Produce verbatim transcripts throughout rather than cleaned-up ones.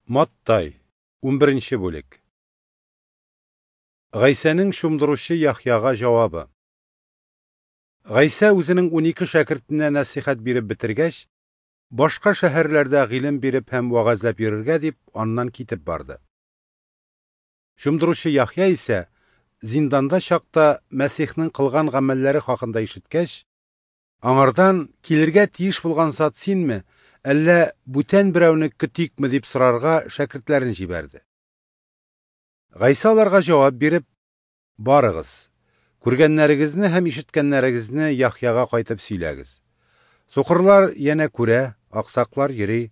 Маттай, унберенче бүлек. Гайсәнең чумдыручы Яхъяга җавабы. Гайсә үзенең унике шәкертенә нәсыйхәт биреп бетергәч, башка шәһәрләрдә гыйлем биреп һәм вәгазьләп йөрергә дип аннан китеп барды. Чумдыручы Яхъя исә зинданда чакта Мәсихнең кылган гамәлләре хакында ишеткәч, аңардан килергә тиеш булган зат синме, әллә бүтән берәүне көтикме дип сорарга шәкертләрен җибәрде. Гайсә аларга җавап биреп: "Барыгыз, күргәннәрегезне һәм ишеткәннәрегезне Яхъяга кайтып сөйләгез. Сукырлар янә күрә, аксаклар йөри,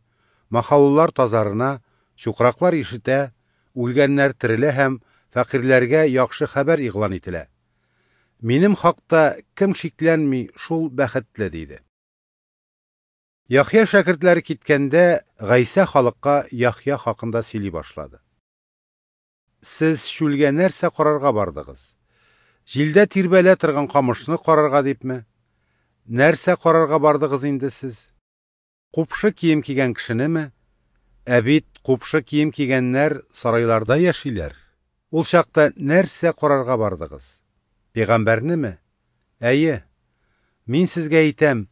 махауллар тазарына, чукраклар ишетә, үлгәннәр терелә һәм фәкыйрьләргә яхшы хәбәр игълан ителә. Минем хакта кем шикләнми, шул бәхетле", диде. Яхъя шәкертләре киткәндә, Гайсә халыкка Яхъя хакында сөйли башлады. Сез чүлгә нәрсә карарга бардыгыз? Җилдә тирбәлә торган камышны карарга дипме? Нәрсә карарга бардыгыз инде сез? Купшы кием кигән кешенеме? Ә бит купшы кием кигәннәр сарайларда яшиләр. Ул чакта нәрсә карарга бардыгыз? Пәйгамбәрнеме? Әйе, мин сезгә әйтәм,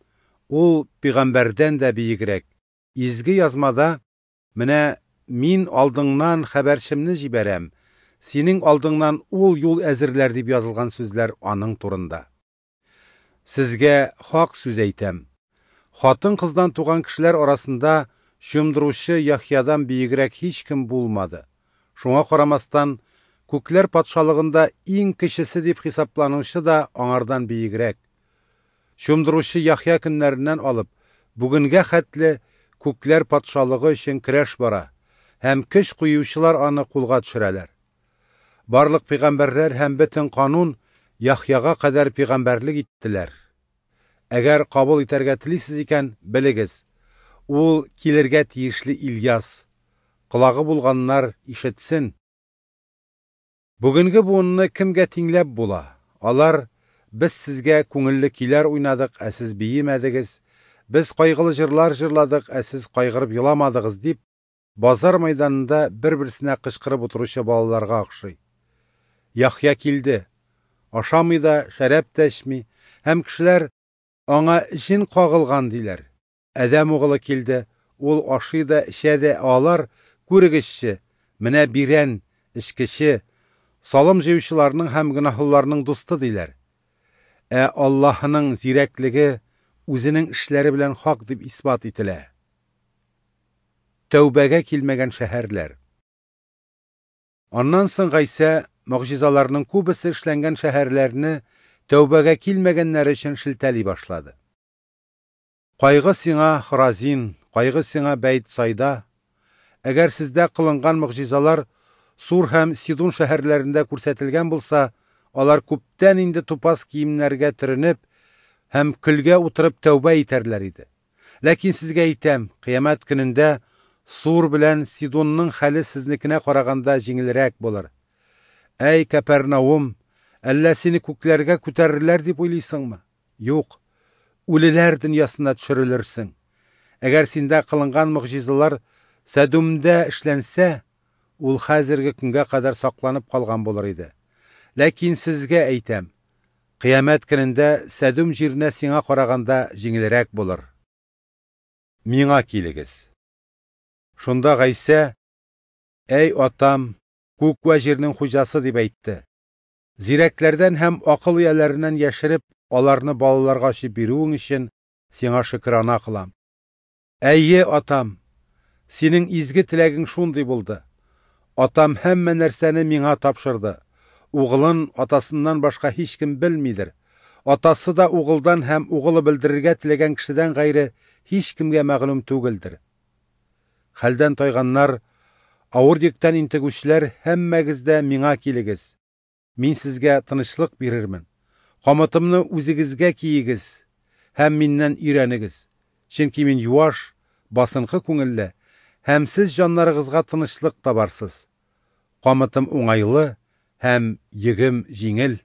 ул пәйгамбәрдән дә биегрәк. Изге язмада: "Менә мин алдыңнан хәбәрчемне җибәрәм, синең алдыңнан ул юл әзерләр" дип язылган сүзләр аның турында. Сезгә хак сүз әйтәм: хатын-кыздан туган кешеләр арасында чумдыручы Яхъядан биегрәк һичкем булмады. Шуңа карамастан, күкләр патшалыгында иң кечесе дип хисапланучы да аңардан биегрәк. Чумдыручы Яхъя көннәреннән алып, бүгенгә хәтле күкләр патшалыгы өчен көрәш бара, һәм көч куючылар аны кулга төшерәләр. Барлык пәйгамбәрләр һәм бөтен канун Яхъяга кадәр пәйгамбәрлек иттеләр. Әгәр кабул итәргә телисез икән, белегез, ул килергә тиешле Ильяс. Колагы булганнар ишетсен. Бүгенге буынны кемгә тиңләп була? Алар: "Без сезгә күңелле көйләр уйнадык, ә сез биемәдегез, без кайгылы җырлар җырладык, ә сез кайгырып еламадыгыз" дип, базар мәйданында бер-берсенә кычкырып утыручы балаларга охшый. Яхъя килде, ашамый да, шәраб та эчми, һәм кешеләр: "Аңа җен кагылган" диләр. Адәм угылы килде, ул ашый да, эчә дә, алар: "Күрегезче, менә бирән, эчкече, салым җыючыларның һәм гөнаһлыларның дусты" диләр. Ә Аллаһының зирәклеге үзенең эшләре белән хак дип исбат ителә. Тәүбәгә килмәгән шәһәрләр. Аннан соң Гайсә могҗизаларның күбесе эшләнгән шәһәрләрне тәүбәгә килмәгәннәр өчен шелтәли башлады. Кайгы сиңа, Хоразин, кайгы сиңа, Бәйтсайда! Әгәр сездә кылынган могҗизалар Сур һәм Сидун шәһәрләрендә күрсәтелгән булса, алар күптән инде тупас киемнәргә төренеп һәм көлгә утырып тәүбә итәрләр иде. Ләкин сезгә әйтәм, кыямәт көнендә Сур белән Сидунның хәле сезнекенә караганда җиңелрәк булыр. Әй, Кәпәрнаум, әллә сине күкләргә күтәрерләр дип уйлыйсыңмы? Юк, үлеләр дөньясына төшерелерсең. Әгәр синдә кылынган могҗизалар Сәдүмдә эшләнсә, ул хәзерге көнгә кадәр сакланып калган булыр иде. Ләкин сезгә әйтәм, кыямәт көнендә Сәдүм җиренә сиңа караганда җиңелрәк булыр. Миңа килегез. Шунда Гайсә: "Әй Атам, күк вә җирнең хуҗасы" дип әйтте. Зирәкләрдән һәм акыл ияләреннән яшереп, аларны балаларга ачып бирүең өчен сиңа шөкрана кылам. Әйе, Атам, синең изге теләгең шундый булды. Атам һәммә нәрсәне миңа тапшырды. Угылын атасыннан башка һичкем белмидер. Атасы да угылдан һәм угылы белдерергә теләгән кешедән гайре һичкемгә мәгълүм түгелдер. Хәлдән тайганнар, авыр йөктән интегүчеләр, һәммәгез дә миңа килегез. Мин сезгә тынычлык бирермен. Камытымны үзегезгә киегез һәм миннән өйрәнегез. Чөнки мин юаш, басынкы күңелле, һәм сез җаннарыгызга тынычлык табарсыз. Камытым уңайлы һәм йөгем җиңел.